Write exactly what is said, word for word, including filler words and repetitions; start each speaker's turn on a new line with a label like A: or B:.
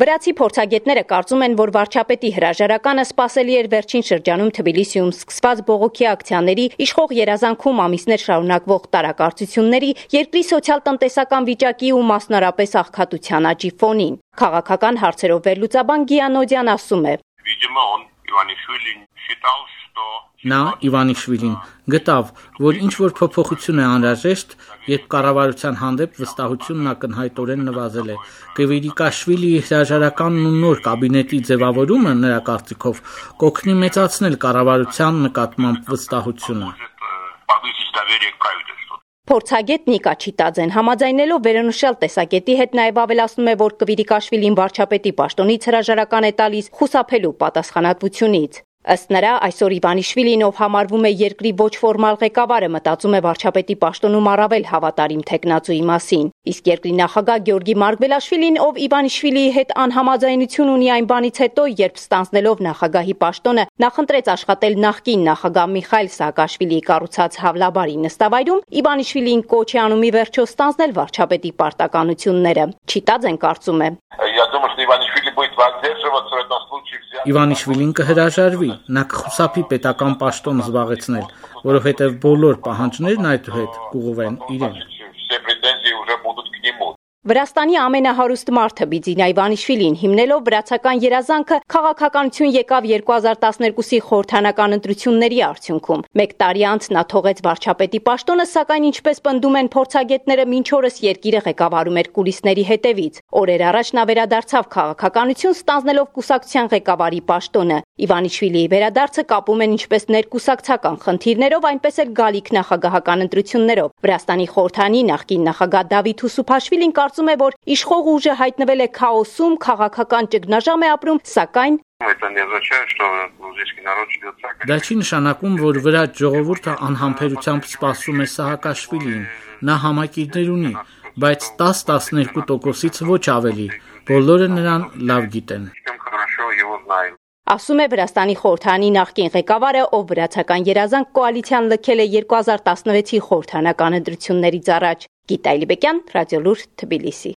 A: Վրացի փորձագետները կարծում են, որ վարչապետի հրաժարականը սպասելի էր վերջին շրջանում Թբիլիսիում սկսված բողոքի ակցիաների, իշխող երազանքում ամիսներ շարունակվող տարակարծությունների, երկրի սոցիալ-տնտեսական վիճակի ու մասնարապես աղքատության աճի ֆոնին։ Քաղաքական հարցերով վերլուծաբան Գիանոդյան ասում է.
B: Նա Իվանիշվիլին գտավ, որ ինչ-որ փոփոխություն է անհրաժեշտ, երբ կառավարության հանդեպ վստահությունն ակնհայտորեն նվազել է։ Կվիրիկաշվիլիի հրաժարականն ու նոր կաբինետի ձևավորումը, նրա կարծիքով, կօգնի մեծացնել կառավարության նկատմամբ վստահությունը։
A: Փորձագետ Նիկա Չիտաձեն համաձայնելով վերոնշյալ տեսակետի հետ նաև ավելացնում է, որ Կվիրիկաշվիլին վարչապետի պաշտոնից հրաժարական է տալիս խուսափելու պատասխանատվությունից։ Ըստ նրա, այսօր Իվանիշվիլին, ով համարվում է երկրի ոչ ֆորմալ ղեկավարը, մտածում է վարչապետի պաշտոնում առավել հավատարիմ թեկնածուի մասին։ Իսկ երկրի նախագահ Գյորգի Մարգվելաշվիլին, ով Իվանիշվիլիի հետ անհամաձայնություն ունի այն բանից հետո, երբ ստանձնելով նախագահի պաշտոնը, նախընտրեց աշխատել նախկին նախագահ Միխայիլ Սաակաշվիլիի կառուցած Հավլաբարի նստավայրում, Իվանիշվիլին կոչ է անում ի վերջո ստանձնել վարչապետի պարտականությունները։ Չիտաձեն կարծում է.
B: Իվանիշվիլին կհրաժարվի, նա կխուսափի պետական պաշտոն զբաղեցնել, որովհետև բոլոր պահանջներն այդուհետ կուղղվեն իրեն։
A: Վրաստանի ամենահարուստ մարդը Բիձինա Իվանիշվիլին, հիմնելով վրացական երազանքը, քաղաքականություն եկավ երկու հազար տասներկուսի խորհրդանական ընտրությունների արդյունքում։ Մեկ տարի անց նա թողեց վարչապետի պաշտոնը, սակայն ինչպես պնդում են փորձագետները, մինչ օրս երկիրը ղեկավարում էր կուլիսների հետևից։ Օրեր առաջ նա վերադարձավ քաղաքականություն, ստանձնելով կուսակցության ղեկավարի պաշտոնը։ Իվանիշվիլիի վերադարձը կապում են ինչպես ներկուսակցական խնդիրներով, այնպես էլ գալիք նախագահական ընտրություններով։ Վրաստանի խորհրդանի նախկին նախագահ Դավիթ Ուսուփաշվիլին կարծում է, որ իշխող ուժը հայտնվել է քաոսում, քաղաքական ճգնաժամ է ապրում, սակայն
B: Դա չի նշանակում, որ վրաց ժողովուրդը անհամբերությամբ սպասում է Սահակաշվիլիին։ Նա համակիրներ ունի, բայց տաս-տասներկու տոկոսից ոչ ավելի։ Բոլորը նրան լավ գիտեն։
A: Ասում է Վրաստանի խորհրդանի նախկին ղեկավարը, ով վրացական երազանք կոալիցիան լքել է երկու հազար տասնվեցի խորհրդանական ընտրություններից առաջ։ Գիտա Իլիբեկյան, Ռադիոլուր, Թբիլիսի։